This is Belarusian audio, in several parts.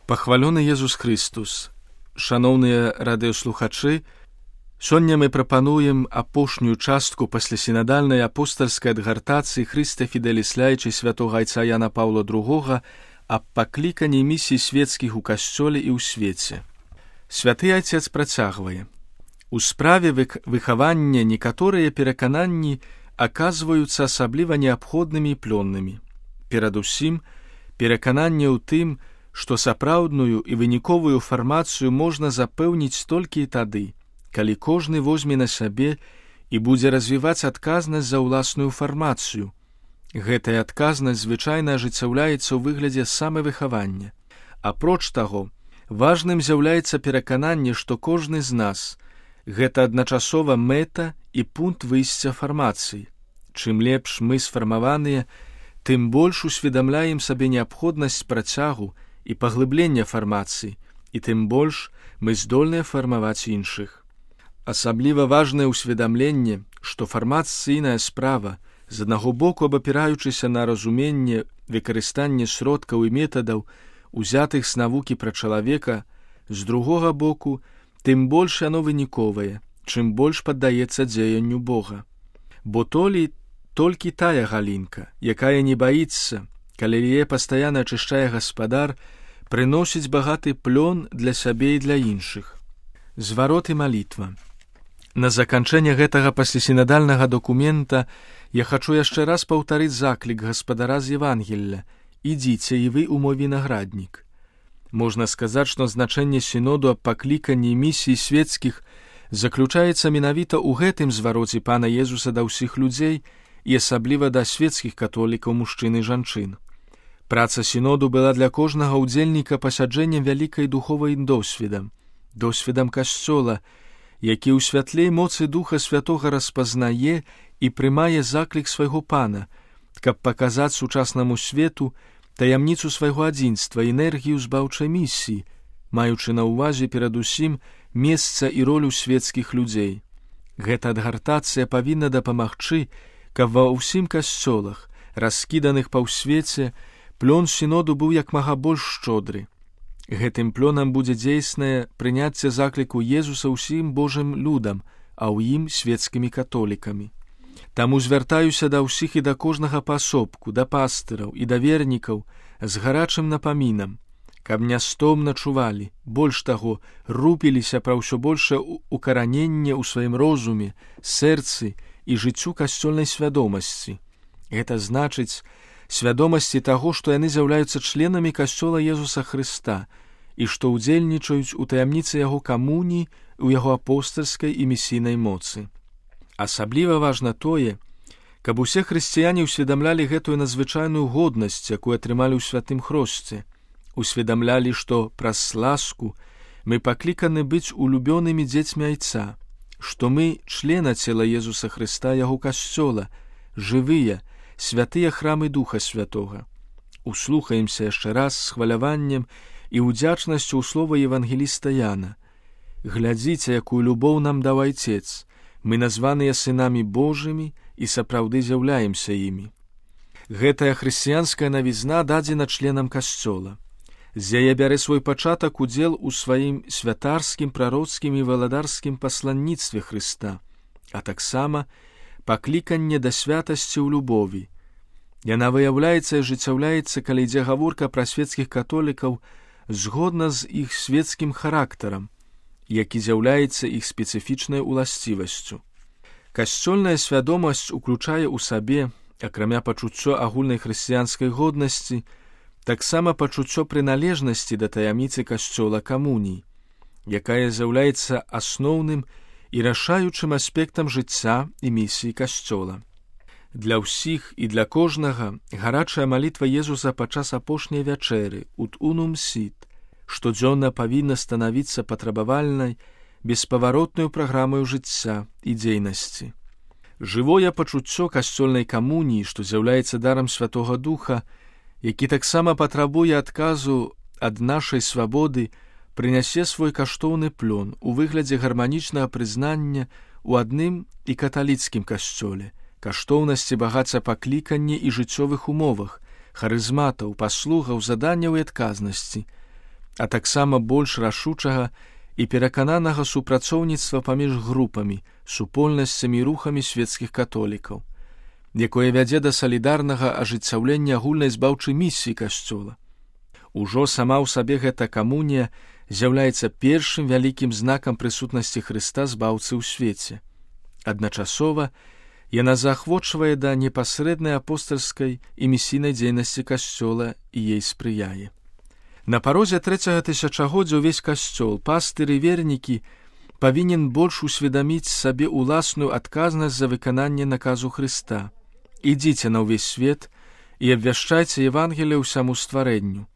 Пахвалёны Езус Христус. Шаноўныя радыёслухачы, сёння мы прапануем апошнюю частку паслясінадальнай апостальскай адгартацыі Хрыста Фіделіс Лаічы святога айца Яна Паўла II аб пакліканні місій свецкіх у касцёле і ў свеце. Святы айцец працягвае. У справе выхавання некаторыя перакананні аказваюцца асабліва неабходнымі і плённымі. Перадусім, перакананне ў тым, што сапраўдную і выніковую фармацыю можна запэўніць толькі і тады, калі кожны возьме на сябе і будзе развіваць адказнасць за ўласную фармацыю. Гэтая адказнасць звычайна ажыццяўляецца ў выглядзе самавыхавання. Апроч таго, важным з'яўляецца перакананне, што кожны з нас – гэта адначасова мэта і пункт выйсця фармацыі. Чым лепш мы сфармаваныя, тым больш усведамляем сабе неабходнасць працягу і паглыблення фармацыі, і тым больш мы здольныя фармаваць іншых. Асабліва важнае ўсведамленне, што фармацыйная справа, з аднаго боку абапіраючыся на разуменне, выкарыстанне сродкаў і метадаў, узятых з навукі пра чалавека, з другога боку, тым больш яно выніковае, чым больш паддаецца дзеянню Бога. Бо толькі тая галінка, якая не баіцца, калі яе пастаянна ачышчае гаспадар, прыносіць багаты плён для сябе і для іншых. Зварот і малітва. На заканчэнне гэтага паслясінадальнага дакумента я хачу яшчэ раз паўтарыць заклік гаспадара з Евангелля: «Ідзіце і вы ў мой вінаграднік». Можна сказаць, што значэнне сіноду аб пакліканні місій свецкіх заключаецца менавіта ў гэтым звароце Пана Езуса да ўсіх людзей і асабліва да свецкіх католікаў мужчын і жанчын. Праца сіноду была для кожнага ўдзельніка пасяджэннем вялікай духовай досведам касцёла, які ў святлей моцы Духа Святога распазнае і прымае заклік свайго Пана, каб паказаць сучаснаму свету таямніцу свайго адзінства, энергію збаўчай місіі, маючы на ўвазе перадусім месца і ролю свецкіх людзей. Гэта адгартацыя павінна дапамагчы, каб ва ўсім касцёлах, раскіданых па ўсвеце, плён сіноду быў як мага больш шчодры. Гэтым плёнам будзе дзейснае прыняцце закліку Езуса ўсім Божым людам, а ў ім свецкімі католікамі. Таму звяртаюся да ўсіх і да кожнага паасобку, да пастыраў і да вернікаў з гарачым напамінам, каб нястомна чувалі, больш таго, рупіліся пра ўсё большае укараненне ў сваім розуме, сэрцы і жыццю касцёльнай свядомасці. Гэта значыць свядомасці таго, што яны з'яўляюцца членамі касцёла Езуса Хрыста і што ўдзельнічаюць у таямніцы яго камуніі, у яго апостальскай і місійнай моцы. Асабліва важна тое, каб усе хрысціяне ўсведамлялі гэтую надзвычайную годнасць, якую атрымалі ў святым хросце, усведамлялі, што праз ласку мы пакліканы быць улюбёнымі дзецьмі айца, што мы члена цела Езуса Хрыста, яго касцёла, жывыя, святыя храмы Духа Святога. Услухаемся яшчэ раз з хваляваннем і ўдзячнасцю ў слова евангеліста Яна. Глядзіце, якую любоў нам даў Айцец. Мы названыя сынамі Божымі і сапраўды з'яўляемся імі. Гэтая хрысціянская навізна дадзена членам касцёла. З яе бярэ свой пачатак удзел у сваім святарскім, прароцкім і валадарскім пасланніцтве Хрыста, а таксама пакліканне да святасці ў любові. Яна выяўляецца і ажыццяўляецца, калі ідзе гаворка пра свецкіх католікаў згодна з іх свецкім характарам, які з'яўляецца іх спецыфічнай уласцівасцю. Касцёльная свядомасць уключае ў сабе, акрамя пачуццё агульнай хрысціянскай годнасці, таксама пачуццё прыналежнасці да таямніцы касцёла камуніі, якая з'яўляецца асноўным і рашаючым аспектам жыцця і місіі касцёла. Для ўсіх і для кожнага гарачая малітва Езуса падчас апошняй вячэры «Ut unum sit» штодзённа павінна станавіцца патрабавальнай, беспаваротнаю праграмаю жыцця і дзейнасці. Жывое пачуццё касцёльнай камуніі, што з'яўляецца дарам Святога Духа, які таксама патрабуе адказу ад нашай свабоды, прынясе свой каштоўны плён у выглядзе гарманічнага прызнання ў адным і каталіцкім касцёле, каштоўнасці багацця паклікання і жыццёвых умовах, харызматаў, паслугаў, заданняў і адказнасці. а таксама больш рашучага і перакананага супрацоўніцтва паміж групамі, супольнасцямі і рухамі свецкіх католікаў, якое вядзе да салідарнага ажыццяўлення агульнай збаўчай місіі Касцёла. Ужо сама ў сабе гэта камунія з'яўляецца першым вялікім знакам прысутнасці Хрыста збаўцы ў свеце. Адначасова яна заахвочвае да непасрэднай апостальскай і місійнай дзейнасці Касцёла і ей спрыяе. На парозе 3-го тысячагоддзя ўвесь Касцёл, пастыры і вернікі павінен больш усведаміць сабе ўласную адказнасць за выкананне наказу Хрыста. Ідзіце на ўвесь свет і абвяшчайце Евангелие ўсяму стварэнню,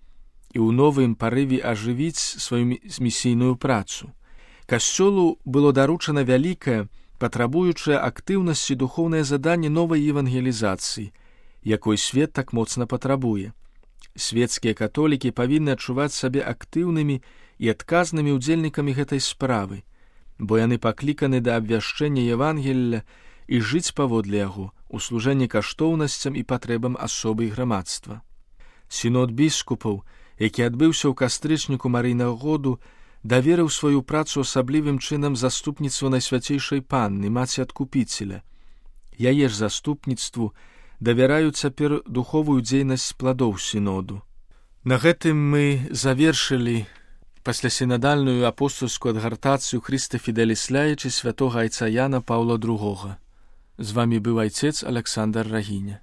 і ў новым парыве ажывіць сваю місійную працу. Касцёлу было даручана вялікае, патрабуючае актыўнасці духоўнае заданне новай евангелізацыі, якой свет так моцна патрабуе. Свецкія католікі павінны адчуваць сабе актыўнымі і адказнымі ўдзельнікамі гэтай справы, бо яны пакліканы да абвяшчэння Евангелля і жыць паводле яго у служэнні каштоўнасцям і патрэбам асобы і грамадства. Сінод біскупаў, які адбыўся ў кастрычніку Марыйнага году, даверыў сваю працу асаблівым чынам заступніцтву Найсвяцейшай Панны, маці Адкупіцеля. Яе ж заступніцтву давяраюць цяпер духовую дзейнасць пладоў сіноду. На гэтым мы завершылі паслясінадальную апостольскую адгартацыю Христа Фіделіс Ляйчы святога айца Яна Паўла II. З вамі быў айцец Александр Рагіня.